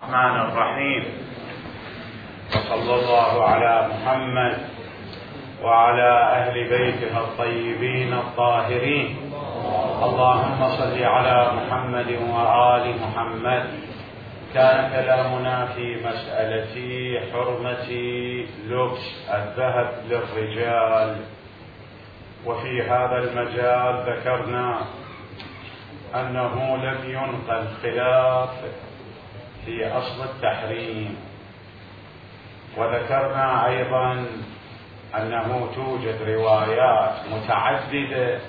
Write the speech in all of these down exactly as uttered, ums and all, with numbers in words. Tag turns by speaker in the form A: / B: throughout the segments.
A: الرحمن الرحيم. وصلى الله على محمد وعلى أهل بيته الطيبين الطاهرين. اللهم صل على محمد وآل محمد. كان كلامنا في مسألة حرمة لبس الذهب للرجال، وفي هذا المجال ذكرنا أنه لم ينقل خلاف في أصل التحريم، وذكرنا أيضا أنه توجد روايات متعددة،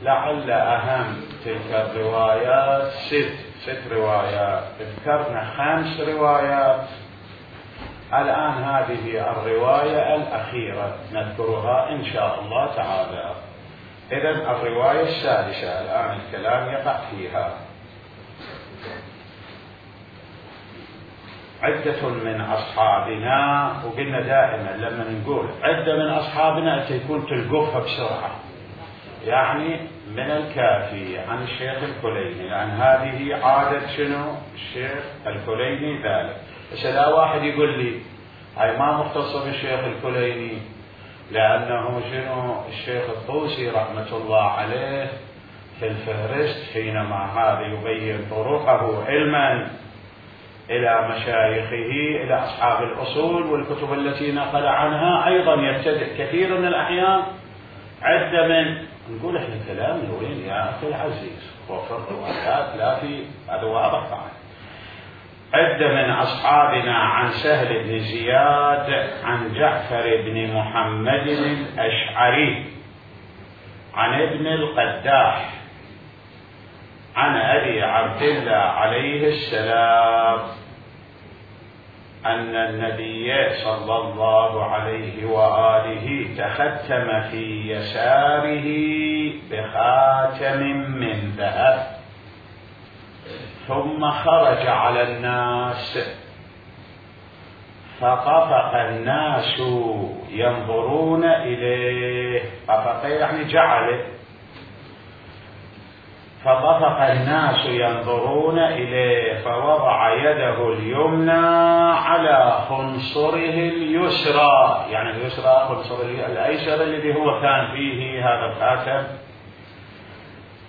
A: لعل أهم تلك الروايات ست ست روايات. ذكرنا خمس روايات، الآن هذه الرواية الأخيرة نذكرها إن شاء الله تعالى. إذن الرواية السادسة الآن الكلام يقع فيها. عدة من أصحابنا، وقلنا دائما لما نقول عدة من أصحابنا تكون تلقفها بسرعة، يعني من الكافي عن الشيخ الكليني، لأن هذه عادة شنو الشيخ الكليني ذلك. بس لا واحد يقول لي هاي ما مختصة بالشيخ الكليني، لأنه شنو الشيخ الطوسي رحمة الله عليه في الفهرست حينما هذا يبين طرقه علما إلى مشايخه إلى أصحاب الأصول والكتب التي نقل عنها، أيضا يبتدئ كثير من الأحيان عدة من نقول إحنا كلام وين يا أخي العزيز، وفي الروايات لا في هذا واضح طبعا. عدة من أصحابنا عن سهل بن زياد عن جعفر بن محمد الأشعري عن ابن القداح عن أبي عبد الله عليه السلام أن النبي صلى الله عليه وآله تختم في يساره بخاتم من ذهب، ثم خرج على الناس فطفق الناس ينظرون إليه. طفق يعني جعله، فطفق الناس ينظرون إليه فوضع يده اليمنى على خنصره اليسرى، يعني اليسرى خنصره الأيسر الذي هو كان فيه هذا الخاتم،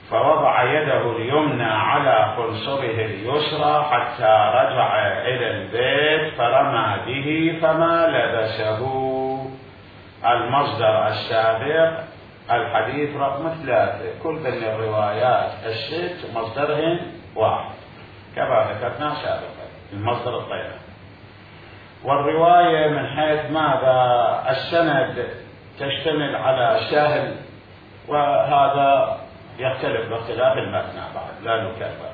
A: فوضع يده اليمنى على خنصره اليسرى حتى رجع إلى البيت فرمى به فما لبسه. المصدر السابق الحديث رقم ثلاثة، كل من الروايات الست مصدرهن واحد كما ذكرنا سابقا، المصدر الطيب. والرواية من حيث ماذا السند تشتمل على سهل، وهذا يختلف باختلاف المتن بعد لا نكرر.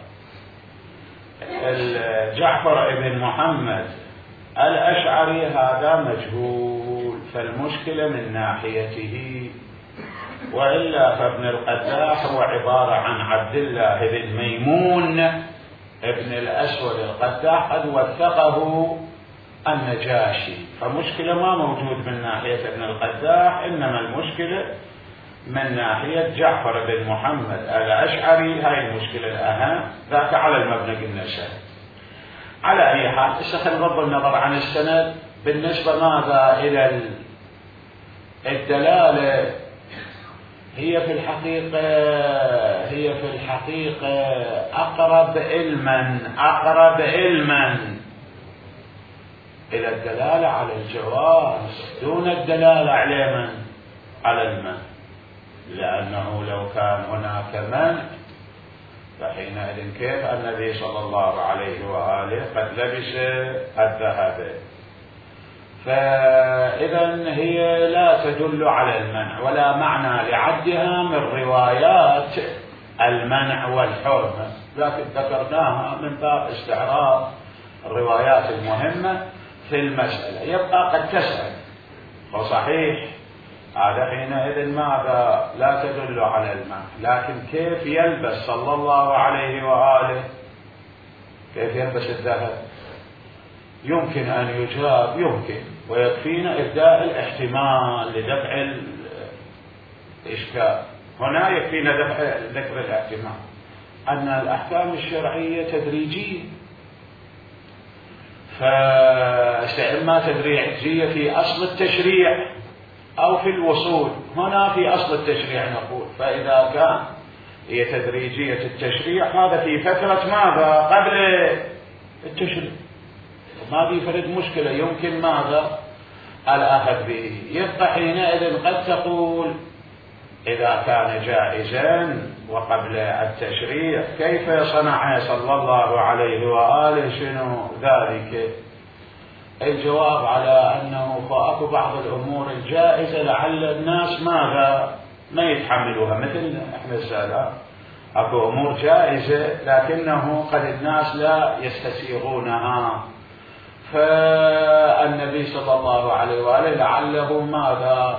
A: جعفر بن محمد الأشعري هذا مجهول، فالمشكلة من ناحيته، وإلا فابن القداح هو عبارة عن عبد الله بن ميمون ابن الأسود القداح، قد وثقه النجاشي، فمشكلة ما موجود من ناحية ابن القداح، إنما المشكلة من ناحية جعفر بن محمد الأشعري، هاي المشكلة الأهم، ذاك على المبنى قلنا شيء. على أي حال خلينا نغض النظر عن السند. بالنسبة ماذا إلى الدلالة، هي في الحقيقة هي في الحقيقة أقرب علما أقرب علما إلى الدلالة على الجواز دون الدلالة على من على المنع، لأنه لو كان هناك منع فحينئذ كيف النبي صلى الله عليه وآله قد لبس الذهب؟ فإذا هي لا تدل على المنع، ولا معنى لعدها من روايات المنع والحرمة، لكن ذكرناها من باب استعراض الروايات المهمة في المسألة. يبقى قد تسأل وصحيح هذا حينئذ ماذا لا تدل على المنع، لكن كيف يلبس صلى الله عليه وآله، كيف يلبس الذهب؟ يمكن أن يجاب، يمكن، ويكفينا إبداء الاحتمال لدفع الإشكال. هنا يكفينا ذكر الاحتمال أن الأحكام الشرعية تدريجية، فإما تدريجية في أصل التشريع أو في الوصول. هنا في أصل التشريع نقول، فإذا كان هي تدريجية التشريع هذا في فترة ماذا؟ قبل التشريع، ما في فرد مشكلة، يمكن ماذا؟ الأخذ به. يبقى حينئذ قد تقول إذا كان جائزا وقبل التشريع كيف صنع صلى الله عليه وآله شنو ذلك؟ الجواب على أنه فأكو بعض الأمور الجائزة لعل الناس ماذا؟ ما يتحملوها، مثل إحنا السادة أكو أمور جائزة لكنه قد الناس لا يستسيغونها، فالنبي صلى الله عليه وآله لعله ماذا؟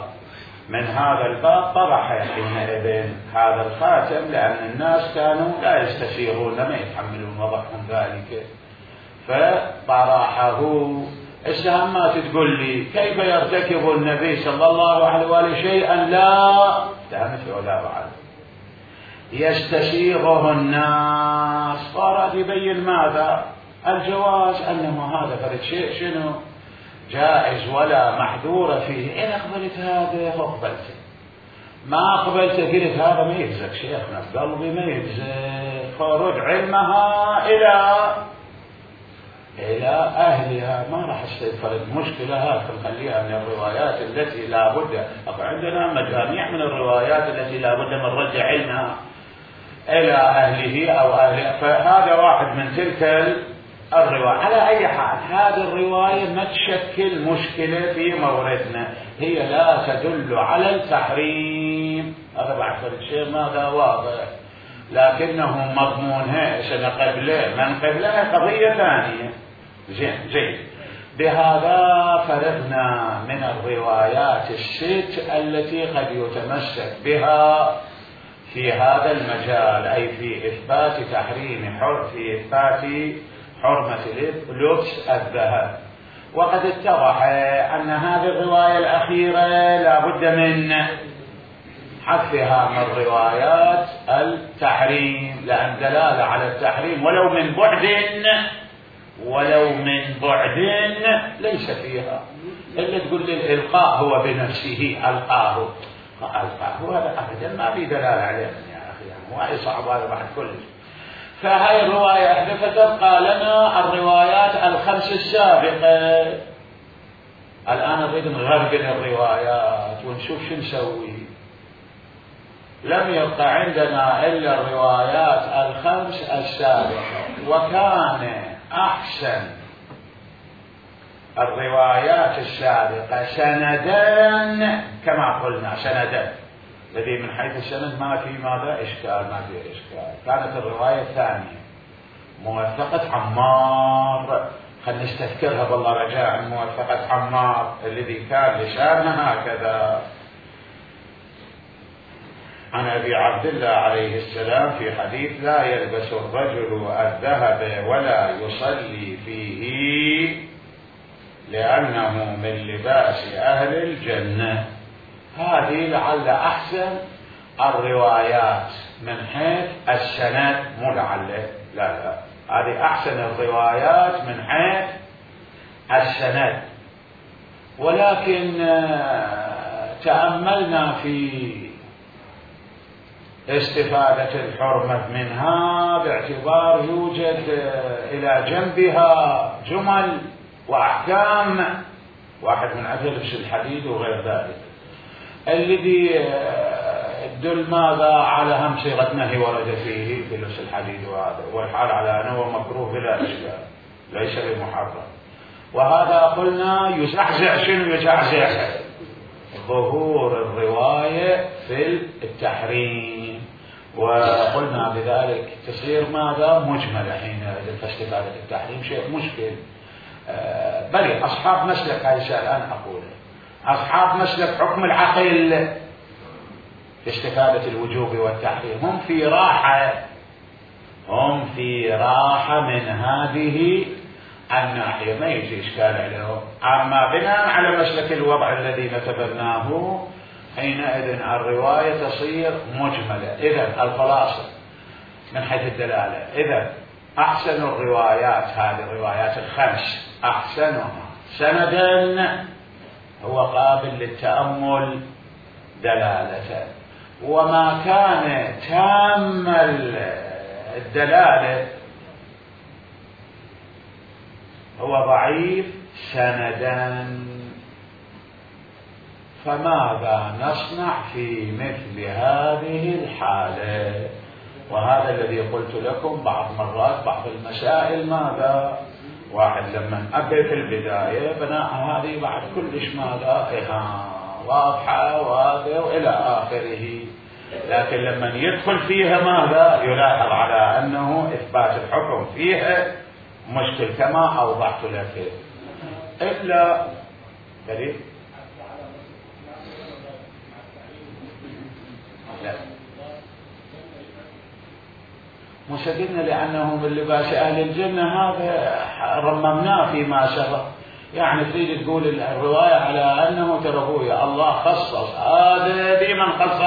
A: من هذا الباب طرح حينئذ هذا الخاتم، لأن الناس كانوا لا يستسيغون ما يتحملون وضعهم ذلك، فطرحه. السهم ما تقول لي كيف يرتكب النبي صلى الله عليه وآله شيئا لا تهمت ولا بعد يستسيغه الناس، صار يبين ماذا؟ الجواز، أنه هذا فرد شيء شنو جائز ولا محذور فيه. إن أقبلت هذا فأقبلت، ما قبلت قلت هذا ما يجزك شيخنا، قلبي ما يجزك، فرد علمها إلى إلى أهلها، ما راح استفرد مشكلة. هذا نخليها من الروايات التي لا بد، عندنا مجاميع من الروايات التي لا بد من رد علمها إلى أهله أو أهلها، فهذا واحد من تلك الرواية. على أي حال هذه الرواية ما تشكل مشكلة في موردنا، هي لا تدل على التحريم، هذا بعد فرد شيء ماذا واضح، لكنه مضمونها سنة قبله من قبلها قضية ثانية. زين زين بهذا فرغنا من الروايات الست التي قد يتمسك بها في هذا المجال، أي في إثبات تحريم حر في إثبات حرمة لبس الذهب. وقد اتضح أن هذه الرواية الأخيرة لا بد من حذفها من روايات التحريم، لأن دلالة على التحريم ولو من بعد ولو من بعد ليس فيها، إلا تقول لي الإلقاء هو بنفسه ألقاه ألقاه، هذا أبدا ما في دلالة عليه يا أخي، وهي صعب هذا بعد كل. فهي الرواية إحدى فتبقى لنا الروايات الخمس السابقة. الآن نريد نغرقل الروايات ونشوف شو نسوي. لم يبقى عندنا إلا الروايات الخمس السابقة، وكان أحسن الروايات السابقة سندان كما قلنا، سندان الذي من حيث السند ما في ماذا إشكال، ما في إشكال. كانت الرواية الثانية موثقة عمار، خلينا نستذكرها بالله رجاء، موثقة عمار الذي كان لسانها هكذا عن أبي عبد الله عليه السلام في حديث لا يلبس الرجل الذهب ولا يصلي فيه لأنه من لباس أهل الجنة. هذه لعل أحسن الروايات من حيث السند، مو لعل، لا لا، هذه أحسن الروايات من حيث السند. ولكن تأملنا في استفادة الحرمة منها باعتبار يوجد إلى جنبها جمل وأحكام، واحد من عدل لبس الحديد وغير ذلك، الذي يدل ماذا على هم صيغة نهي ورد فيه في لبس الحديد، وهذا والحال على أنه مكروه بلا إشكال ليس بمحرم. وهذا قلنا يزعزع شنو يزعزع ظهور الرواية في التحريم، وقلنا بذلك تصير ماذا مجملة حين استفادة التحريم شيء مشكل. آه بل أصحاب مسلك هذا الآن أقول أصحاب مسلك حكم العقل في استفادة الوجوب والتحريم هم في راحة، هم في راحة من هذه الناحية، ما يجي إشكال عليهم. أما بناء على مسلك الوضع الذي نتبناه حينئذ الرواية تصير مجملة. إذن الخلاصة من حيث الدلالة، إذن أحسن الروايات، هذه الروايات الخمس أحسنها سندا هو قابل للتأمل دلالة، وما كان تام الدلالة هو ضعيف سندا. فماذا نصنع في مثل هذه الحالة؟ وهذا الذي قلت لكم بعض مرات بعض المسائل ماذا واحد لما أبي في البداية بناء هذه بعد كلش ماذا إها واضحة وهذا وإلى آخره، لكن لما يدخل فيها ماذا يلاحظ على أنه إثبات الحكم فيها مشكل كما أوضحت لك. إلا دليل لا مسجدنا لأنه من لباس أهل الجنة، هذا رممناه فيما سبق. يعني تريد تقول الرواية على أنه ترى الله خصص هذا بمن خصص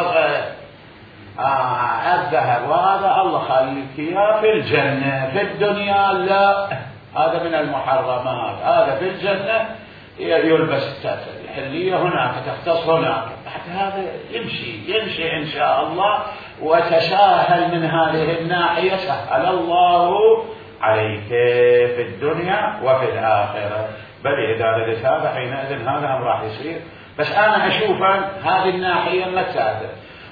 A: آه الذهب، وهذا الله خليك إياه في الجنة، في الدنيا لا، هذا من المحرمات، هذا في الجنة يلبس الحلية هناك تختص هناك. هذا يمشي يمشي إن شاء الله، وتساهل من هذه الناحية سهل الله عليك في الدنيا وفي الآخرة. بل إذا ردت هذا حينئذ هذا هم راح يصير. بس أنا أشوف هذه الناحية متساهل،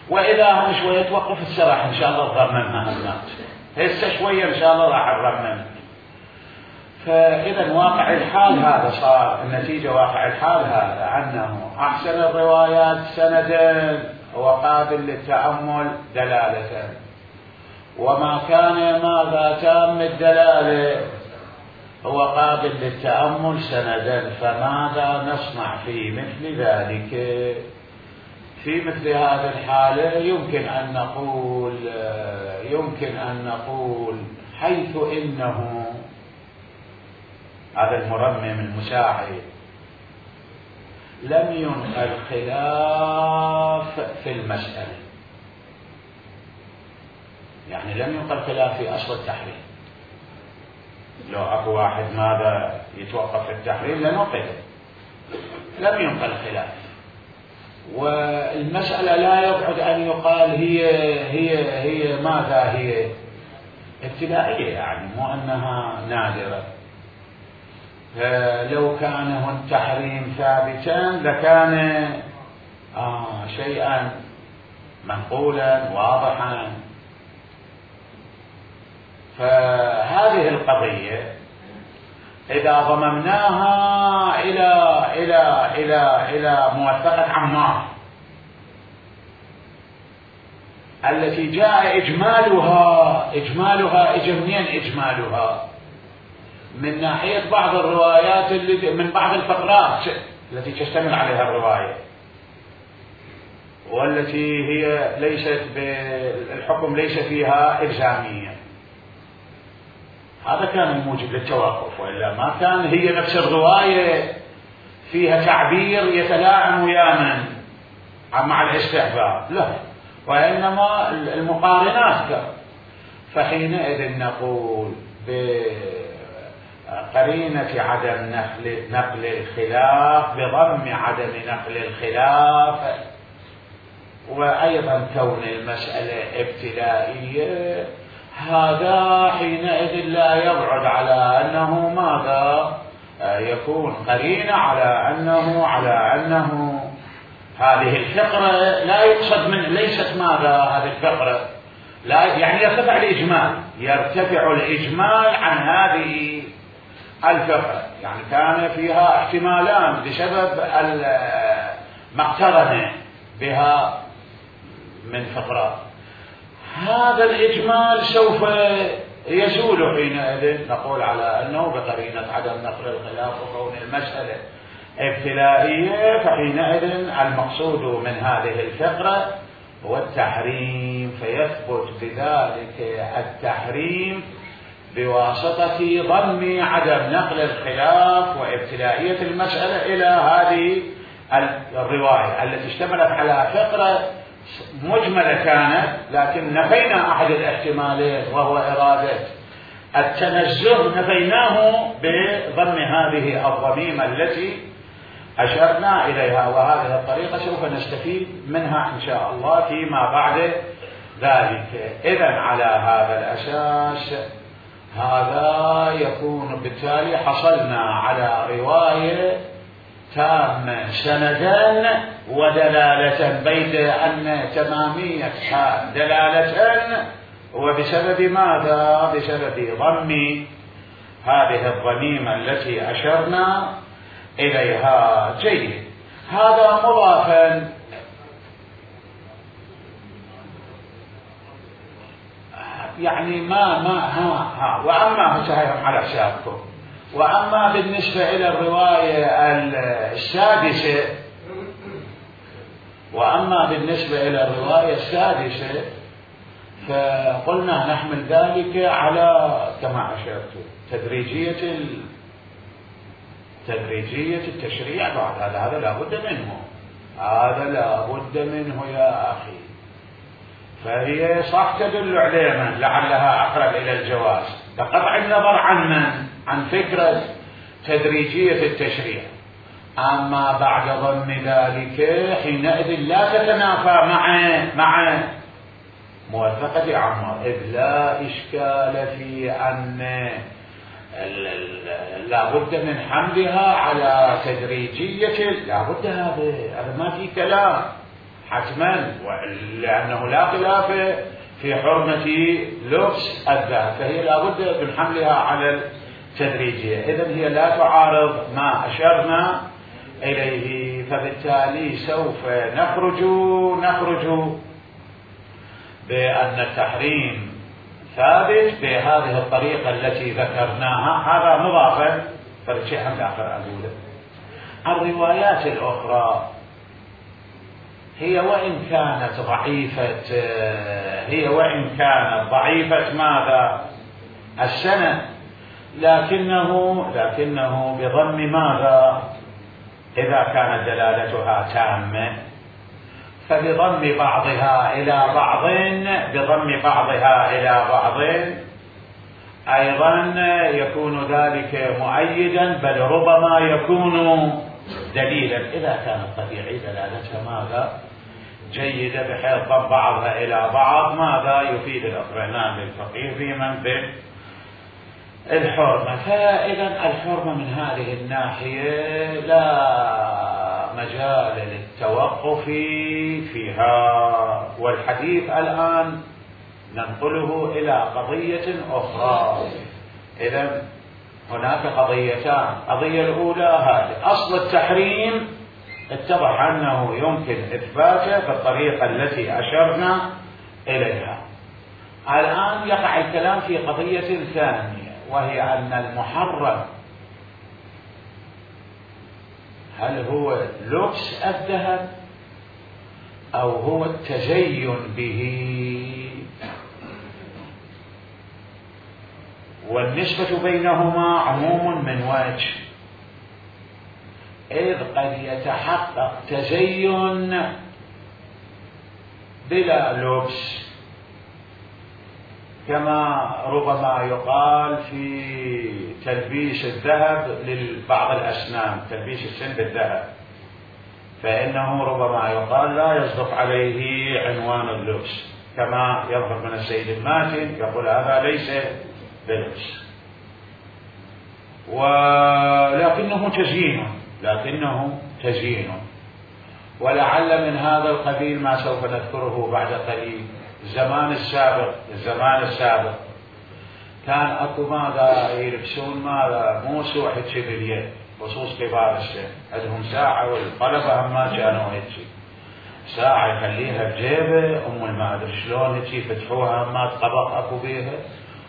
A: وإذا هم شوية توقف السراح إن شاء الله نرممها هالنات هسه شوية إن شاء الله راح نرمم. فإذا واقع الحال هذا صار النتيجة، واقع الحال هذا أنه أحسن الروايات سندا وقابل للتأمل دلالة، وما كان ماذا تام الدلالة هو قابل للتأمل سندا. فماذا نصنع في مثل ذلك؟ في مثل هذه الحالة يمكن أن نقول يمكن أن نقول حيث إنه هذا المرمم المساعد لم ينقل خلاف في المسألة، يعني لم ينقل خلاف في أصل التحريم. لو أكو واحد ماذا يتوقف في التحريم لنقل، لم ينقل خلاف، والمسألة لا يبعد أن يقال هي هي هي ماذا هي ابتدائية، يعني مو أنها نادرة. لو كان التحريم ثابتا لكان آه شيئا منقولا واضحا. فهذه القضية إذا ضممناها إلى إلى إلى إلى موثقة عمار التي جاء إجمالها إجمالها إجا منين إجمالها؟ من ناحية بعض الروايات اللي من بعض الفقرات التي تشتمل عليها الرواية، والتي هي ليست بالحكم ليس فيها إلزامية. هذا كان الموجب للتوقف، وإلا ما كان هي نفس الرواية فيها تعبير يتلاعن ويا من مع الاستحباب، لا، وإنما المقارنات. فحينئذ نقول بقرينة عدم نقل نقل الخلاف بضم عدم نقل الخلاف، وأيضا كون المسألة ابتدائية، هذا حينئذ لا يبعد على أنه ماذا يكون قرينة على أنه على أنه هذه الفقرة لا يقصد من ليست ماذا هذه الفقرة لا، يعني يرتفع الإجمال يرتفع الإجمال عن هذه الفقرة، يعني كان فيها احتمالان بسبب ما اقترن بها من فقرات. هذا الإجمال سوف يزول حينئذ، نقول على أنه بقرينة عدم نقل الخلاف وكون المسألة ابتلائية، فحينئذ المقصود من هذه الفقرة هو التحريم، فيثبت بذلك التحريم بواسطة ضم عدم نقل الخلاف وابتلائية المسألة إلى هذه الرواية التي اشتملت على فقرة مجملة كانت، لكن نفينا أحد الاحتمالين وهو إرادة التنزه نفيناه بضم هذه الضميمة التي أشرنا إليها، وهذه الطريقة سوف نستفيد منها إن شاء الله فيما بعد ذلك. إذن على هذا الأساس هذا يكون بالتالي حصلنا على رواية تامة سندا ودلالة، بيد أن تمامية دلالة وبسبب ماذا؟ بسبب ضم هذه الضميمة التي أشرنا إليها. جيد، هذا مضافا يعني ما ما ها ها وأما سهيهم على حسابكم. وأما بالنسبة إلى الرواية السادسة وأما بالنسبة إلى الرواية السادسة فقلنا نحمل ذلك على كما أشرت تدريجية تدريجية التشريع بعد هذا. هذا لا بد منه، هذا لا بد منه يا أخي. فهي صح تدل علينا لعلها أقرب إلى الجواز بقطع النظر عن من؟ عن فكرة تدريجية التشريع. أما بعد ضم ذلك حينئذ لا تتنافى مع مع موافقة عمر، إذ لا إشكال في أن لا بد من حملها على تدريجية، لا بد، هذا هذا ما في كلام حتما، لأنه لا خلاف في حرمة لبس الذهب، فهي لا بد من حملها على التدريجية. إذن هي لا تعارض ما أشرنا إليه، فبالتالي سوف نخرج نخرج بأن التحريم ثابت بهذه الطريقة التي ذكرناها. هذا مضافا فالشيء هم آخر أقوله. الروايات الأخرى هي وإن كانت ضعيفة هي وإن كانت ضعيفة ماذا؟ السند، لكنه لكنه بضم ماذا؟ إذا كانت دلالتها تامة فبضم بعضها إلى بعض بضم بعضها إلى بعض أيضا يكون ذلك مؤيدا، بل ربما يكون دليلا إذا كانت طبيعي دلالتها ماذا؟ جيدة، بحيث ضم بعضها إلى بعض ماذا؟ يفيد الاطمئنان للفقيه في منبع الحرمة. فإذا الحرمة من هذه الناحية لا مجال للتوقف فيها. والحديث الآن ننقله إلى قضية أخرى. إذن هناك قضيتان. القضية الأولى هذه أصل التحريم اتضح أنه يمكن إثباته بالطريقة التي أشرنا إليها. الآن يقع الكلام في قضية ثانية، وهي أن المحرم هل هو لبس الذهب أو هو التزين به؟ والنسبة بينهما عموم من وجه، إذ قد يتحقق تزين بلا لبس، كما ربما يقال في تلبيس الذهب لبعض الأسنان، تلبيس السن بالذهب، فإنه ربما يقال لا يصدق عليه عنوان اللبس، كما يظهر من السيد الماتن يقول هذا ليس بلبس، ولكنه تزيين لكنه تزيين ولعل من هذا القبيل ما سوف نذكره بعد قليل. الزمان السابق الزمان السابق كان اكو ماذا يلبسون ماذا موسو حكي باليد، خصوص كبار السن عندهم ساعة، والطلبة هم ما كانوا هيك ساعة يخليها بجيبه أم ما أدري شلون هيك يفتحوها، ما طبق اكو بيها،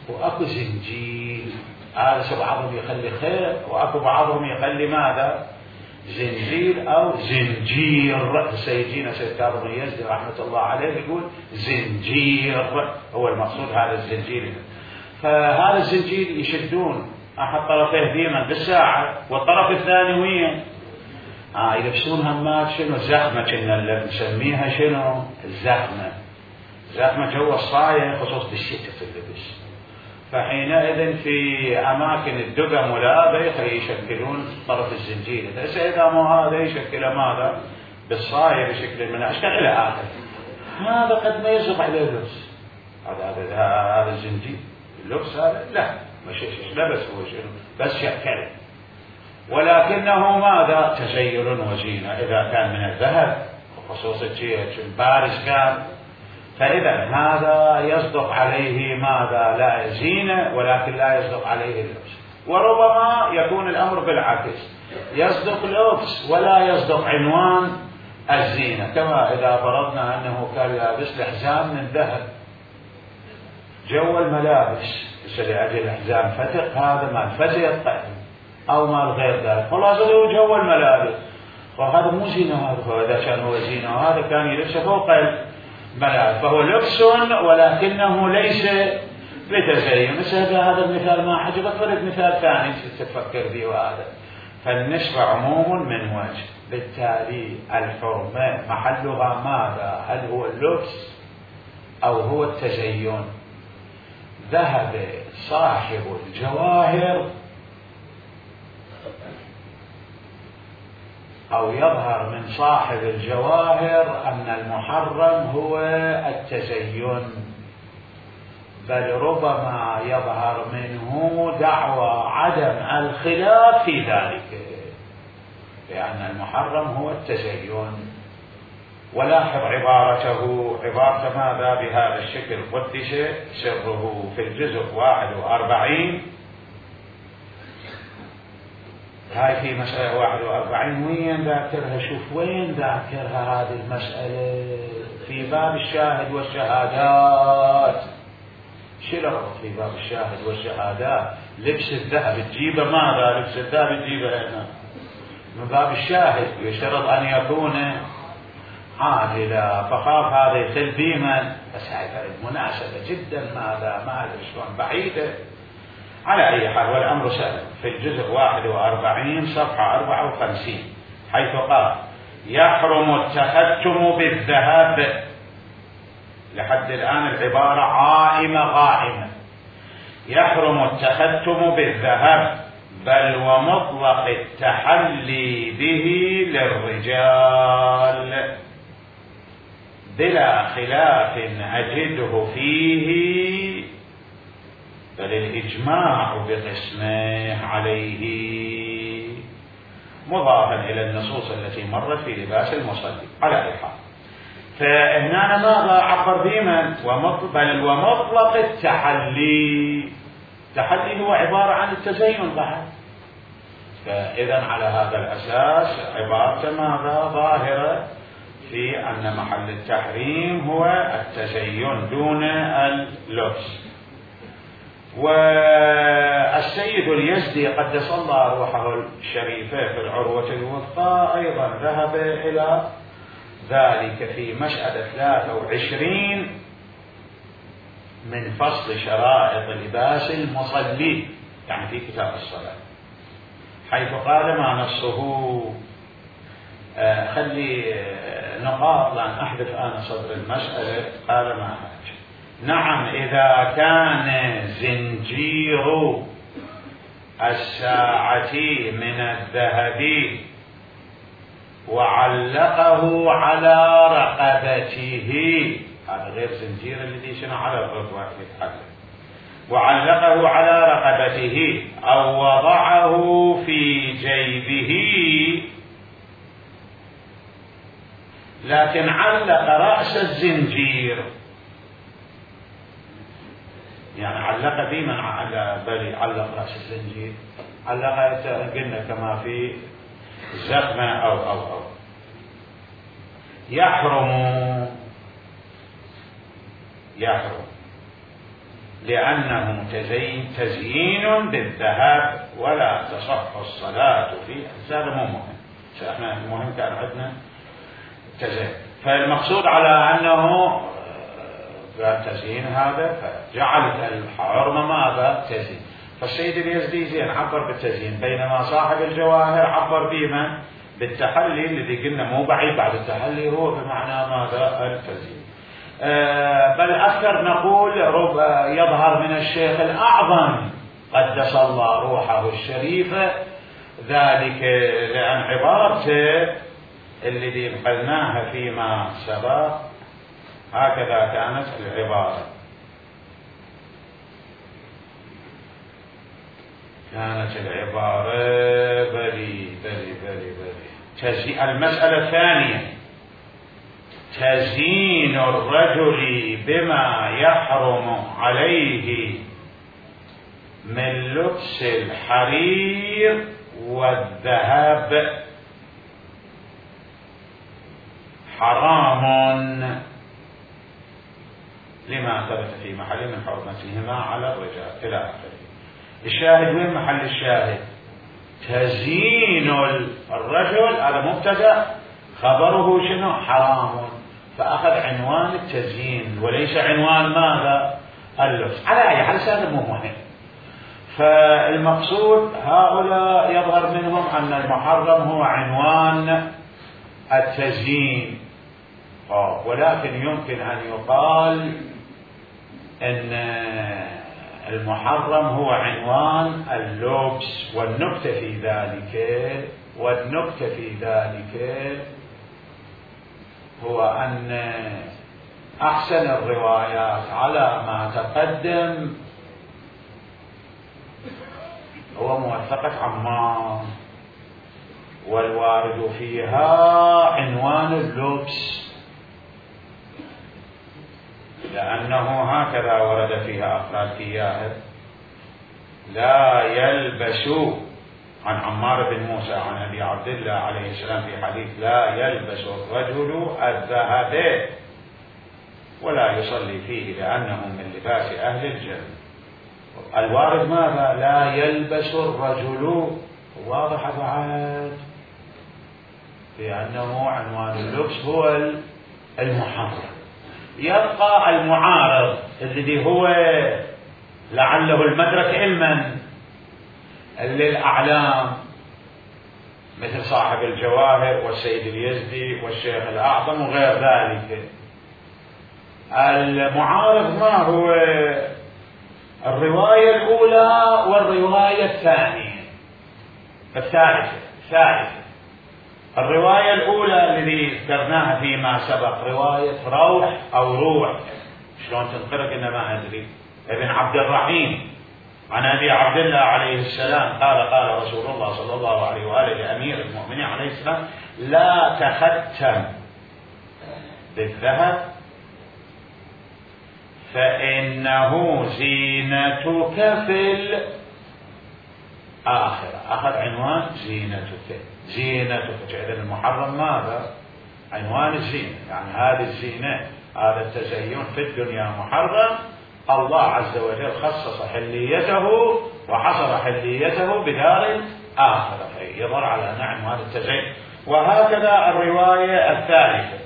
A: واكو زنجيل، هذا بعضهم يخلي خير واكو بعضهم يخلي ماذا؟ زنجيل او زنجير. سيدنا سيد كاظم اليزدي رحمه الله عليه يقول زنجير هو المقصود هذا الزنجيل. فهذا الزنجيل يشدون احد طرفيه ديما بالساعه، والطرف الثاني وين؟ اه يلبسون همات شنو؟ زخمه، كنا اللي نسميها شنو؟ الزخمه، زخمه جوا الصايه، خصوص بالشتاء في اللبس. فحينئذ في أماكن الدقم والآبيخ يشكلون طرف الزنجير، إذا مو هذا يشكل ماذا؟ بالصاير بشكل من الأشكال إلى آخره. هذا قد ما يصدق عليه لبس، هذا هذا هذا الزنجير اللبس هذا لا مش لبس هو شيء بس شكل، ولكنه ماذا؟ تزين وزينة إذا كان من الذهب خصوصا شيء بارز كان، فإذا هذا يصدق عليه ماذا؟ لا زينة، ولكن لا يصدق عليه اللبس. وربما يكون الأمر بالعكس، يصدق لبس ولا يصدق عنوان الزينة، كما إذا فرضنا أنه كان لابس الحزام من ذهب، جو الملابس لأجل الحزام فتق، هذا مال فتق أو مال غير ذلك، خلاص هو جو الملابس، وهذا مو زينة، هذا إذا كان هو زينة وهذا كان يلبسه فوق الملابس، فهو لبس ولكنه ليس بتزين. مثل هذا المثال ما عجبك، فرد مثال ثاني تفكر به، وهذا فالنسبة عموم من وجه، بالتالي الحرمة محلها ماذا؟ هل هو اللبس أو هو التزين؟ ذهب صاحب الجواهر أو يظهر من صاحب الجواهر أن المحرم هو التزين، بل ربما يظهر منه دعوى عدم الخلاف في ذلك، لأن المحرم هو التزين. ولاحظ عبارته، عبارة ماذا؟ بهذا الشكل قدس سره في الجزء واحد وأربعين، هاي في مسألة واحد وأربعين، وين ذاكرها؟ شوف وين ذاكرها هذه المسألة، في باب الشاهد والشهادات. شو الربط في باب الشاهد والشهادات؟ لبس الذهب تجيبه ماذا؟ لبس الذهب تجيبه هنا من باب الشاهد، يشترط أن يكون عادلا، فخاف هذا يخل بيما، بس هذه المناسبة جدا ماذا؟ ما أدري شلون بعيدة. على أي حال والأمر سهل، في الجزء واحد وأربعين صفحة أربعة وخمسين حيث قال: يحرم التختم بالذهب. لحد الآن العبارة عائمة غائمة. يحرم التختم بالذهب، بل ومطلق التحلي به للرجال بلا خلاف أجده فيه، بل الإجماع بقسمه عليه، مضافا إلى النصوص التي مرت في لباس المصلي. على أي حال، فهنا ماذا عبر بمن؟ بل ومطلق التحلي. التحلي هو عبارة عن التزين بعد، فإذا على هذا الأساس عبارة ماذا؟ ظاهرة في أن محل التحريم هو التزين دون اللبس. والسيد اليزدي قدس الله روحه الشريفة في العروة الوثقى أيضا ذهب إلى ذلك في مسألة ثلاثة وعشرين من فصل شرائط لباس المصلي، يعني في كتاب الصلاة، حيث قال ما نصه آه خلي آه نقاط لأن أحذف أنا صدر المسألة. قال ما حاجة. نعم، إذا كان زنجير الساعة من الذهب وعلقه على رقبته، هذا غير زنجير الذي شنو على الرقبة يتحلق، وعلقه على رقبته أو وضعه في جيبه، لكن علق رأس الزنجير، يعني علق بمن على بل علق رأس الزنجير، علق قلنا كما في زخمة أو أو أو يحرم يحرم لأنه تزين تزيين بالذهب ولا تصح الصلاة فيه. هذا مو مهم، احنا المهم كان عندنا تزين، فالمقصود على أنه تزيين هذا، فجعلت الحرمة ماذا؟ تزيين. فالسيد اليزدي زين عبر بالتزيين، بينما صاحب الجواهر عبر بما؟ بالتحلي، الذي قلنا مو بعيد بعد التحلي هو بمعنى ماذا؟ التزيين. بل أكثر نقول يظهر من الشيخ الأعظم قدس الله روحه الشريفة ذلك، لأن عبارته الذي نقلناها فيما سبق هكذا كانت العبارة، كانت العبارة بلي بلي بلي بلي المسألة الثانية تزيين الرجل بما يحرم عليه من لبس الحرير والذهب حرام لما ثبت في محل من حرمتهما على الرجال إلى آخره. الشاهد وين محل الشاهد؟ تزيين الرجل هذا مبتدأ، خبره شنو؟ حرام، فأخذ عنوان التزيين وليس عنوان ماذا؟ اللبس. على أي حال هذا مو مهم. فالمقصود هؤلاء يظهر منهم أن المحرم هو عنوان التزيين، ولكن يمكن أن يقال أن المحرم هو عنوان اللبس. والنكتة في ذلك والنكتة في ذلك هو أن أحسن الروايات على ما تقدم هو موثقة عمار، والوارد فيها عنوان اللبس، لأنه هكذا ورد فيها أفراد إياه: لا يلبس، عن عمار بن موسى عن أبي عبد الله عليه السلام في حديث: لا يلبس الرجل الذهب ولا يصلي فيه لأنه من لباس أهل الجنة. الوارد ماذا؟ لا يلبس الرجل، واضح بعد لأنه عنوان اللبس هو المحرم. يبقى المعارض الذي هو لعله المدرك علما للأعلام مثل صاحب الجواهر والسيد اليزدي والشيخ الأعظم وغير ذلك. المعارض ما هو؟ الرواية الأولى والرواية الثانية الثالثة الثالثة الرواية الأولى الذي ذكرناها فيما سبق رواية روح أو روح، شلون تنقرأ إنما أدري، ابن عبد الرحيم عن أبي عبد الله عليه السلام قال: قال رسول الله صلى الله عليه وآله لأمير المؤمنين عليه السلام: لا تختم بالذهب فإنه زينتك في الآخرة. أخذ عنوان زينتك، زينتك. إذن المحرم ماذا؟ عنوان الزينة، يعني هذه الزينة، هذا التزين في الدنيا محرم. الله عز وجل خصص حليته وحصر حليته بدار الآخرة، يظهر على أن عنوان التزين. وهكذا الرواية الثالثة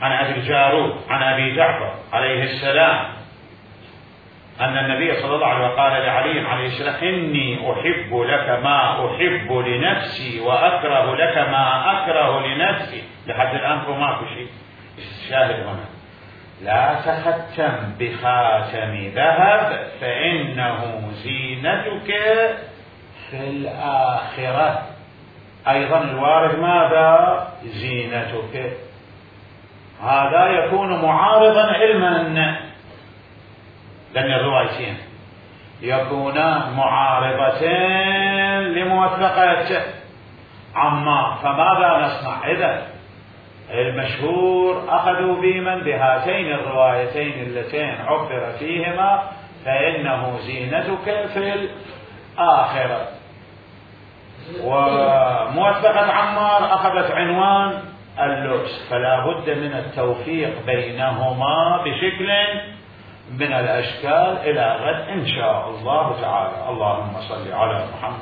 A: عن أبي الجارود عن أبي جعفر عليه السلام أن النبي صلى الله عليه وسلم قال لعلي عليه السلام: إني أحب لك ما أحب لنفسي وأكره لك ما أكره لنفسي. لحد الآن هو ماكو شيء. الشاهد هنا: لا تختم بخاتم ذهب فإنه زينتك في الآخرة. أيضا الوارد ماذا؟ زينتك. هذا يكون معارضا علما، لأن الروايتين يكونان معارضتين لموثقة عمار. فماذا نصنع إذن؟ المشهور أخذوا بمن بهاتين الروايتين اللتين عبر فيهما فإنه زينتك في الآخرة، وموثقة عمار أخذت عنوان اللبس. فلا بد من التوفيق بينهما بشكل من الأشكال إلى غد إن شاء الله تعالى. اللهم صل على محمد.